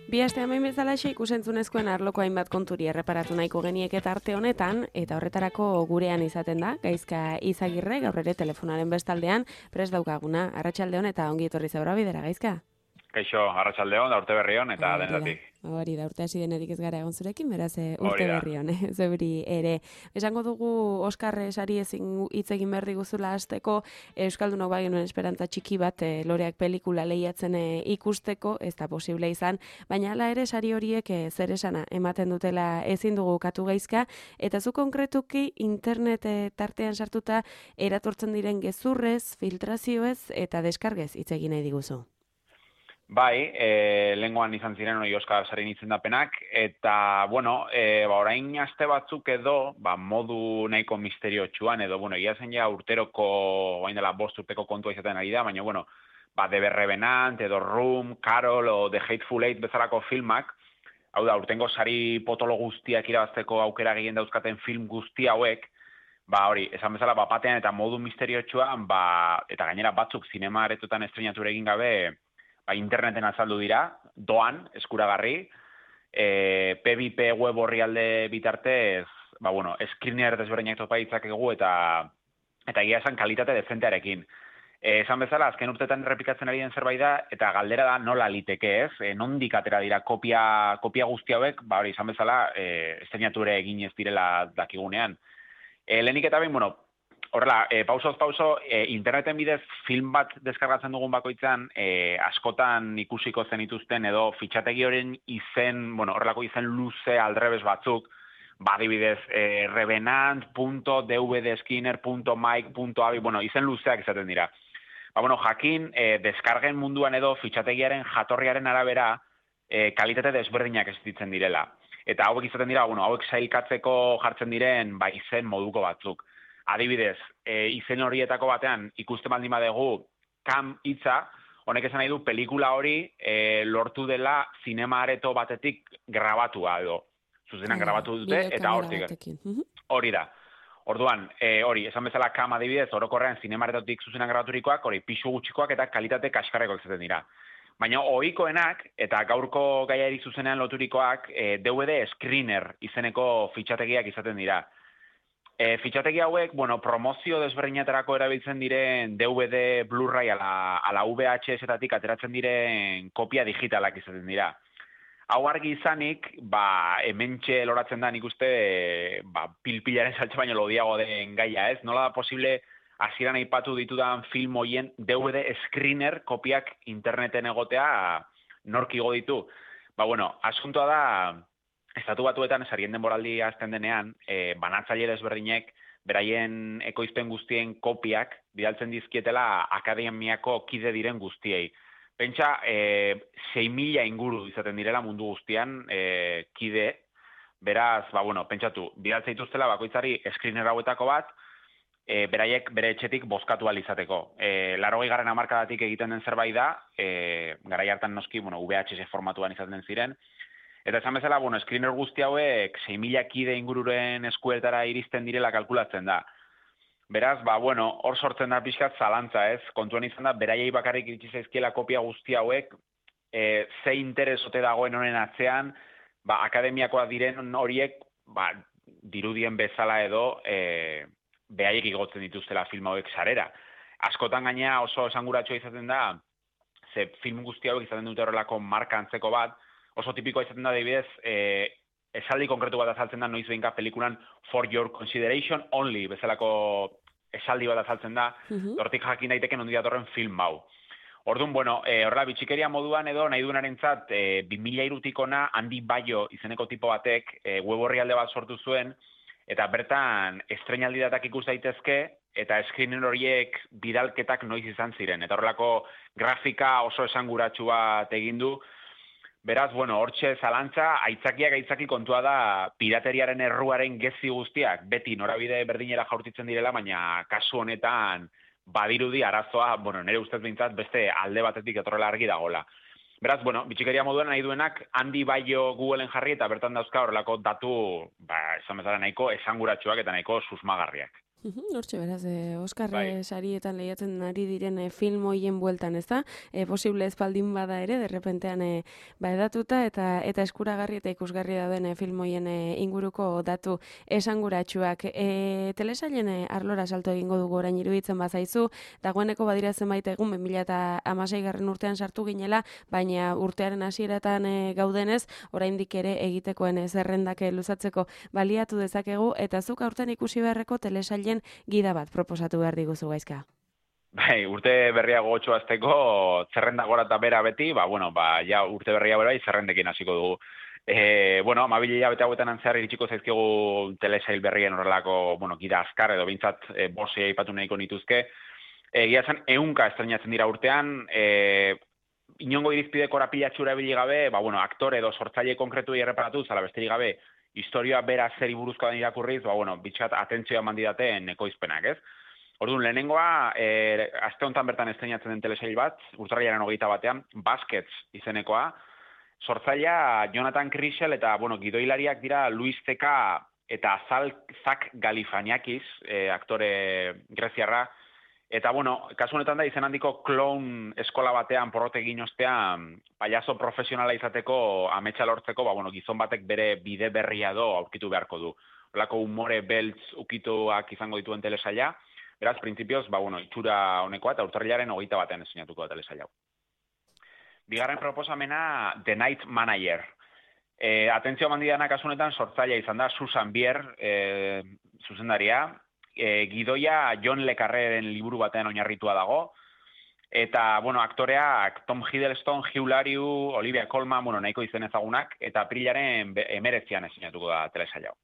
Bi aste hemen bezalaxe ikusentzunezkoen arloko hainbat konturi erreparatu nahiko geniek eta arte honetan, eta horretarako gurean izaten da, Gaizka Izagirre, gaur ere telefonaren bestaldean, prest daukaguna, arratsaldeon eta ongi etorri zaura bidera, Gaizka? Kaixo, arratsaldeon, da urte berri on eta denetatik. Hori da, urte hasi denetik ez gara egon zurekin, beraz urte Hori da. berri on, zeuri ere. Esango dugu Oskar sari ezin hitz egin behar diguzula hasteko, Euskaldunok bagenuen esperantza txiki bat loreak pelikula lehiatzen ikusteko, ez da posible izan, baina hala ere sari horiek zer esana ematen dutela ezin dugu katu Gaizka, eta zu konkretuki internet tartean sartuta eratortzen diren gezurrez, filtrazioez eta deskargez hitz egin nahi diguzu. Bai, lenguan izan ziren hori Oskar Sarin izendapenak, eta, bueno, orain aste batzuk edo, modu nahiko misteriotsuan, edo, egia zen ja urteroko, orain dela 5 urteko kontua izaten ari da, baina, The Revenant, edo Room, Carol, o The Hateful Eight bezalako filmak, hau da, urtengo sari potolo guztiak irabazteko aukera gehien dauzkaten film guzti hauek, hori, esan bezala, batean eta modu misteriotsuan, eta gainera batzuk zinema aretotan estrenatu egin gabe, interneten azaldu dira, doan, eskuragarri, P2P web orrialde bitartez, screener desberdinak topa ditzakegu eta egia esan kalitate dezentearekin. Esan bezala, azken urtetan errepikatzen ari den zerbait da, eta galdera da nola liteke ez, nondik atera dira kopia guzti hauek, hori, esan bezala, estrenatu ere egin ez direla dakigunean. Lehenik eta behin, horrela, pausoz pauso, interneten bidez film bat deskargatzen dugun bakoitzan, askotan ikusiko zenituzten edo fitxategi horien izen, horrelako izen luze aldrebes batzuk, adibidez, revenant.dvdskinner.mike.abi, izen luzeak izaten dira. Jakin, deskargen munduan edo fitxategiaren jatorriaren arabera, kalitate desberdinak existitzen direla. Eta hauek izaten dira, hauek sailkatzeko jartzen diren, izen moduko batzuk. Adibidez, izen horietako batean ikusten baldin badegu kam hitza, honek esan nahi du pelikula hori lortu dela zinema areto batetik grabatua edo. Zuzenan grabatu dute eta hortik. Hori da. Orduan, hori, esan bezala kam adibidez, orokorrean zinema aretotik zuzenan grabaturikoak, hori, pisu gutxikoak eta kalitate kaskarreko izaten dira. Baina ohikoenak eta gaurko gaiari zuzenean loturikoak DVD screener izeneko fitxategiak izaten dira. Fitxategi hauek, promozio desberdinetarako erabiltzen diren DVD, Blu-ray ala VHS-etatik ateratzen diren kopia digitalak izaten dira. Hau argi izanik, hementxe loratzen da nik uste, pilpilaren saltxe baino lodiago den gaia, ez? Nola da posible hasieran aipatu ditudan film hoien DVD screener kopiak interneten egotea nork igo ditu? Asuntoa da, Estatu Batuetan sarien denboraldi azten denean, banatzaile desberdinek beraien ekoizpen guztien kopiak bidaltzen dizkietela akademiako kide diren guztiei. Pentsa, 6.000 inguru izaten direla mundu guztian kide, beraz, pentsatu, bidaltzen dituztela bakoitzari screener hauetako bat, beraiek bere etxetik bozkatu alizateko. 80. hamarkadatik egiten den zerbait da, garai hartan noski, VHS formatuan izaten ziren, eta esan bezala, screener guzti hauek 6.000 kide ingururen eskuetara iristen direla kalkulatzen da. Beraz, hor sortzen da pixkat zalantza, ez? Kontuan izan da, beraiei bakarrik iritsi zaizkiela kopia guzti hauek, ze interesote dagoen honen atzean, akademiakoa diren horiek, dirudien bezala edo, beraiek igotzen dituztela film hauek sarera. Askotan gaina oso esanguratsua izaten da, ze film guzti hauek izaten dute horrelako marka antzeko bat, oso tipikoa izaten da, adibidez, esaldi konkretu bat azaltzen da noiz behinka pelikulan for your consideration only, bezalako esaldi bat azaltzen da, hortik jakin daiteken ondi datorren film hau. Orduan, horrela bitxikeria moduan edo nahi duenarentzat 2003 ona Andy Bayo izeneko tipo batek web orrialde bat sortu zuen, eta bertan estreinaldi datak ikus daitezke, eta screener horiek bidalketak noiz izan ziren. Eta horrelako grafika oso esanguratsu bat egin du. Beraz, hortxe zalantza, aitzaki kontua da pirateriaren erruaren gezi guztiak, beti norabide berdinera jaurtitzen direla, baina kasu honetan badirudi arazoa, nire ustez behintzat beste alde batetik etorrela argi dagola. Beraz, bitxikeria moduan nahi duenak, Andy Bayo Googleen jarri eta bertan dauzka horrelako datu, esan bezala nahiko esanguratsuak eta nahiko susmagarriak. Hortxe beraz, Oskar Bai. sarietan lehiatzen ari diren film hoien bueltan, ez da? Posible ez baldin bada ere, derrepentean edatuta eta eskuragarri eta ikusgarri dauden film hoien inguruko datu esanguratsuak. Telesailen arlora salto egingo dugu orain iruditzen bazaizu, dagoeneko badira zenbait egun 2016 urtean sartu ginela, baina urtearen hasieratan gaudenez, oraindik ere egitekoen zerrendak luzatzeko baliatu dezakegu, eta zuk aurten ikusi beharreko telesailen gida bat proposatu behar diguzu Gaizka. Bai, urte berria gogotxo azteko, zerrenda gora eta bera beti, ja urte berria bera bai, zerrendekin hasiko dugu. Bueno, amabile hilabete hauetan antzear iritsiko zaizkigu telesail berrien horrelako, gida azkar edo bintzat bosea aipatu nahiko nituzke. Egia zen, 100 estrenatzen dira urtean, inongo irizpide korapilatxura ebili gabe, aktore edo sortzaile konkretu erreparatu, zala besterik gabe, historia bera zeri buruzkoa den irakurriz, bitxat atentzioa mandidaten ekoizpenak, ez? Orduan, lehenengoa, aste honetan bertan estrenatzen den telesail bat, urtarrilaren 21, Baskets izenekoa, sortzailea Jonathan Crisel eta, gidoilariak dira Luis Zeka eta Zak Galifaniakis, aktore greziarra, eta, kasu honetan da, izen handiko clown eskola batean porrotegin ostean, payaso profesionala izateko ametsa lortzeko, gizon batek bere bide berria do aurkitu beharko du. Holako umore beltz ukituak izango dituen telesaila, beraz, printzipioz, itxura honekoa eta urtarrilaren 21 estrenatuko da telesail hau. Bigarren proposamena, The Night Manager. Atentzio mandidanak kasu honetan sortzailea izan da Susan Bier, zuzendaria, gidoia John Le Carreren liburu batean oinarritua dago, eta, aktoreak Tom Hiddleston, Hugh Laurie, Olivia Colman, nahiko izen ezagunak, eta aprilaren 19 estrenatuko da telesail hau.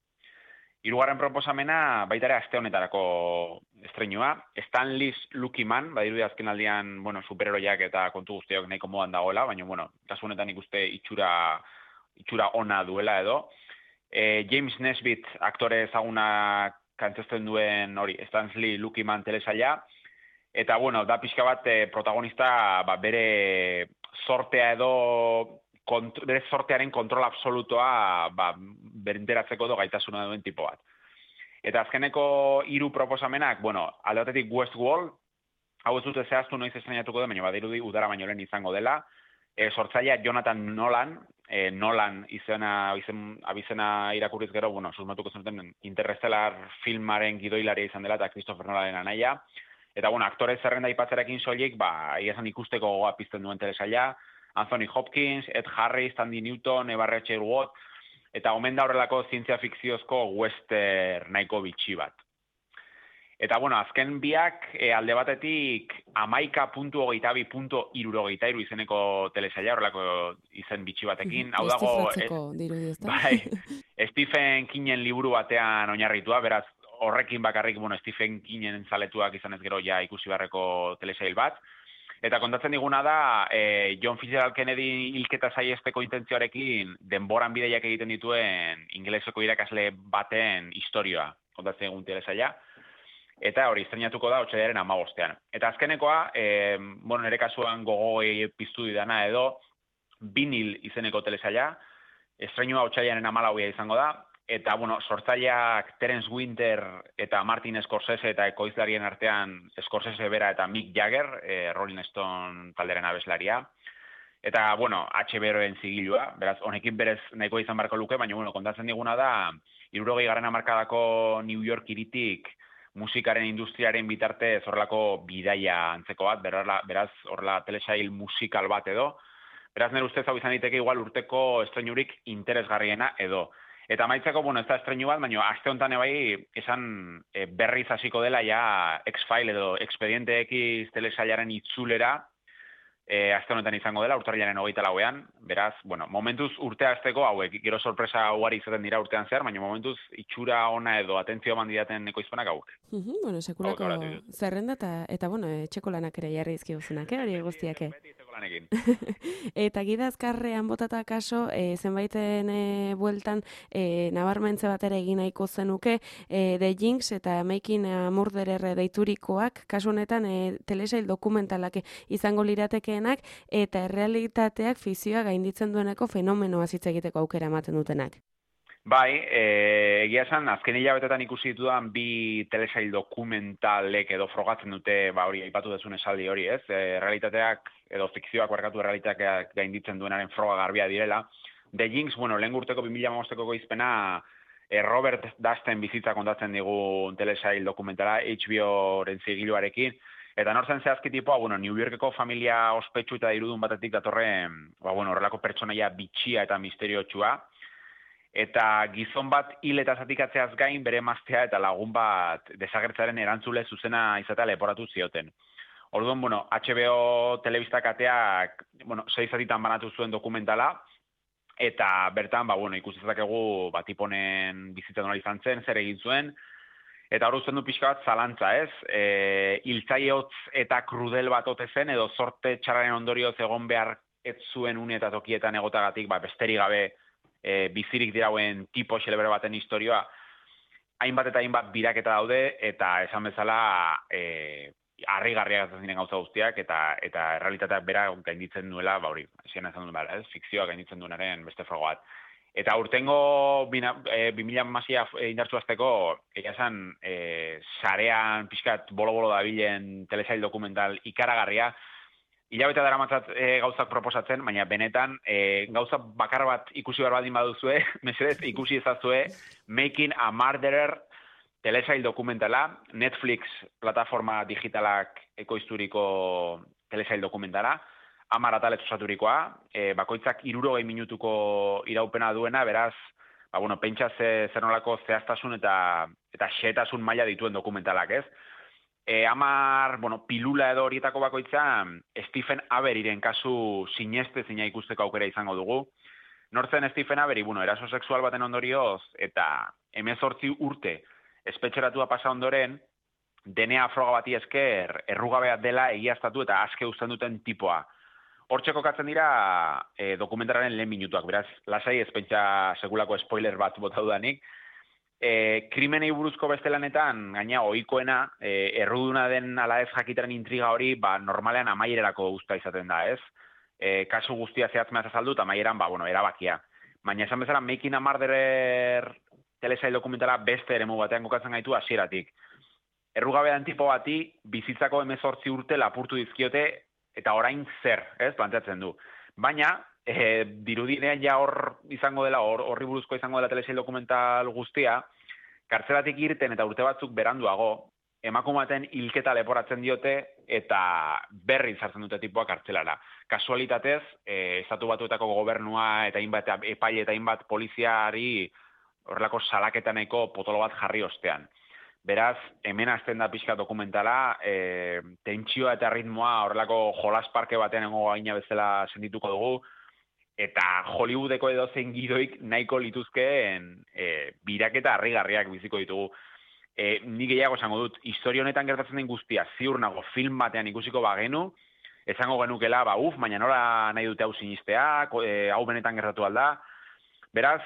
Hirugarren proposamena, baita ere aste honetarako estreinua, Stan Lee's Lucky Man, badirudi azken aldian, superheroiak eta kontu guztiok nahiko modan dagoela, baina, kasu honetan ikuste itxura ona duela edo. James Nesbitt aktore ezagunak kantzesten duen Stan Lee Lucky Man telesaila, eta, da pixka bat protagonista bere sortea edo bere sortearen kontrol absolutoa berinteratzeko do gaitasuna duen tipo bat. Eta azkeneko 3 proposamenak, alde batetik Westworld, hau ez dute zehaztu noiz estrenatuko den, baina badirudi udara baino lehen izango dela, sortzailea Jonathan Nolan, Nolan abizena irakurriz gero, susmatuko zenuten Interstellar filmaren gidoilaria izan dela eta Christopher Nolanen anaia. Eta, aktore zerrenda aipatzerakin soilik, esan ikusteko gogoa pizten duen telesaila, Anthony Hopkins, Ed Harris, Tandy Newton, Eva Rachel Wood, eta omen da horrelako zientzia fikziozko western nahiko bitxi bat. Eta, azken biak alde batetik 11.22.63 izeneko telesaila, horrelako izen bitxi batekin. Hau dago, Stephen Kingen liburu batean oinarritua, beraz, horrekin bakarrik, Stephen Kingen zaletuak izanez gero ja ikusi beharreko telesail bat. Eta kontatzen diguna da, John Fitzgerald Kennedy hilketa saiesteko intentzioarekin denboran bideiak egiten dituen ingeleseko irakasle baten historia kontatzen egun telesaila. Eta hori, estrenatuko da, otsailaren 15. Eta azkenekoa, nire kasuan gogoi piztu didana edo, Vinil izeneko telesaila, estrenua otsailaren 14 izango da, eta, sortzaileak Terence Winter eta Martin Scorsese eta ekoizlarien artean Scorsese bera eta Mick Jagger, Rolling Stone talderen abeslaria. Eta, HBO-en zigilua, beraz, honekin berez nahiko izan barko luke, baina, kontatzen diguna da, 60. hamarkadako New York hiritik musikaren industriaren bitarte horrelako bidaia antzeko bat, beraz, horrela telesail musikal bat edo. Beraz, nire ustez hau izan diteke igual urteko estreinurik interesgarriena edo. Eta maitzeko, ez da estreinu bat, baina aste honetan bai esan berriz hasiko dela ja X-File edo Expediente X telesailaren itzulera aste honetan izango dela, urtarrilaren 24ean, beraz, momentuz urtea hasteko hauek, gero sorpresa ugari izaten dira urtean zehar, baina momentuz itxura ona edo atentzio mandidaten ekoizpenak hauek. Sekulako zerrenda eta etxeko lanak ere jarri izkibuzunak, hori guztiak. Eta gida azkarrean botata kaso, zenbaiten bueltan nabarmentze bat ere egin nahiko zenuke, The Jinx eta Making a Murderer deiturikoak, kasu honetan telesail dokumentalak izango liratekeenak, eta errealitateak fikzioa gainditzen dueneko fenomenoa hitz egiteko aukera ematen dutenak. Bai, egia esan, azken hilabetetan ikusi ditudan bi telesail dokumentalek edo frogatzen dute, hori, aipatu dezun esaldi hori, ez? Realitateak edo fikzioak barkatu realitateak gainditzen duenaren froga garbia direla. The Jinx, bueno, lehen urteko 2015ko goizpena Robert Dusten bizitza kontatzen digu telesail dokumentala HBO-ren zigiluarekin, eta nortzen zehazki tipoa, bueno, New Yorkeko familia ospetsu eta irudun batetik datorren, horrelako pertsonaia bitxia eta misteriotsua, eta gizon bat hil eta zatikatzeaz gain bere emaztea eta lagun bat desagertzaren erantzule zuzena izatea leporatu zioten. Orduan, HBO telebista kateak, 6 zatitan banatu zuen dokumentala, eta bertan, ikusi dezakegu tiponen bizitza nola izan zen, zer egin zuen, eta hor uzten du pixka bat zalantza, ez? Hiltzaileotz eta krudel bat ote zen, edo zorte txarraren ondorioz egon behar ez zuen une eta tokietan egotagatik, besterik gabe bizirik dirauen tipo xelebere baten historioa, hainbat eta hainbat biraketa daude, eta esan bezala harrigarriak ziren gauza guztiak, eta realitateak bera gainditzen duela, hori, esan esan duen bera, fikzioa gainditzen duenaren beste frogo bat. Eta urtengo 2000 indartzu azteko, egia esan, sarean pixkat bolo-bolo dabilen telesail dokumental ikaragarria, hilabete daramatzat gauzak proposatzen, baina benetan gauza bakar bat ikusi behar baldin baduzue, mesedez ikusi ezazue Making a Murderer telesail dokumentala, Netflix plataforma digitalak ekoizturiko telesail dokumentala, 10 atalez osaturikoa, bakoitzak 60 minutuko iraupena duena, beraz, pentsa zer nolako zehaztasun eta xehetasun maila dituen dokumentalak, ez? 10, pilula edo horietako bakoitza, Stephen Averiren kasu sinestezina ikusteko aukera izango dugu. Nortzen Stephen Avery, eraso sexual baten ondorioz, eta 18 urte espetxeratua pasa ondoren, DNA froga bati esker errugabea dela egiaztatu eta aske uzten duten tipoa. Hortxe kokatzen dira dokumentararen lehen minutuak, beraz, lasai ez pentsa sekulako spoiler bat bota dudanik. Krimenei buruzko beste lanetan, gaina ohikoena, erruduna den ala ez jakitaren intriga hori, normalean amaierarako usta izaten da, ez? Kasu guztia zehatzmeaz azaldu, eta amaieran, erabakia. Baina esan bezala, Making a Murderer telesail dokumentala beste eremu batean kokatzen gaitu hasieratik. Errugabean tipo bati, bizitzako 18 urte lapurtu dizkiote, eta orain zer, ez? Planteatzen du. Baina, dirudinean ja hor izango dela, horri buruzko izango dela telesail dokumental guztia, kartzelatik irten eta urte batzuk beranduago, emakumaten hilketa leporatzen diote eta berri sartzen dute tipoa kartzelara. Kasualitatez, Estatu Batuetako gobernua eta hainbat epaile eta hainbat poliziari horrelako salaketaneko potolo bat jarri ostean. Beraz, hemen hasten da pixka dokumentala, tentsioa eta ritmoa horrelako jolasparke baten engo gaina bezala sentituko dugu, eta Hollywoodeko edozein gidoik nahiko lituzkeen biraketa harrigarriak biziko ditugu. Nik gehiago esango dut, historia honetan gertatzen den guztia, ziur nago film batean ikusiko bagenu, esango genukela, baina nola nahi dute hau sinistea, hau benetan gertatu alda. Beraz,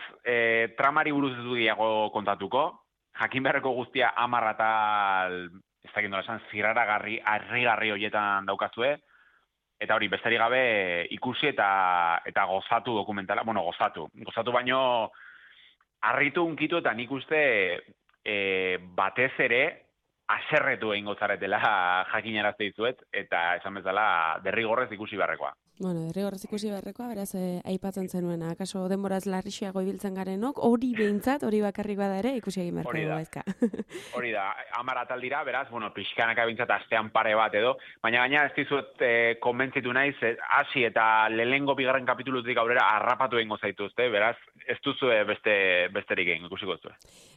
tramari buruz ez du gehiago kontatuko, jakin beharreko guztia 10 atal, ez dakit nola esan, zirraragarri, harrigarri horietan daukazue, eta hori, besterik gabe ikusi eta gozatu dokumentala, gozatu baino harritu unkitu eta nik uste batez ere aserretu egingo zaretela jakinarazte dizuet, eta esan bezala derrigorrez ikusi beharrekoa. Derrigorrez ikusi beharrekoa, beraz aipatzen zenuena, akaso denboraz larrixeago ibiltzen garenok, hori behintzat, hori bakarrik bada ere ikusi egin beharko gaizka. Hori da, 10 atal dira, beraz, pixkanaka behintzat astean pare bat edo, baina gaina ez dizuet konbentzitu naiz, hasi eta lehengo bigarren kapitulutik aurrera harrapatu egingo zaituzte, beraz, ez duzu besterik egin ikusiko duzu.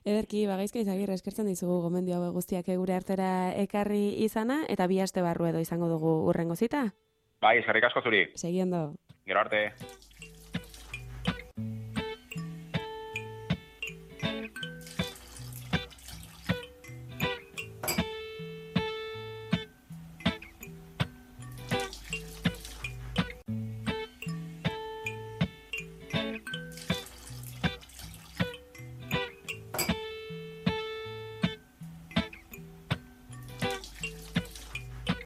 Ederki, Gaizka Izagirre, eskertzen dizugu gomendio hau guztiak gure artera ekarri izana, eta 2 aste barru edo izango dugu hurrengo zita? Bai, eskerrik asko zuri. Seguiendo. Gero arte.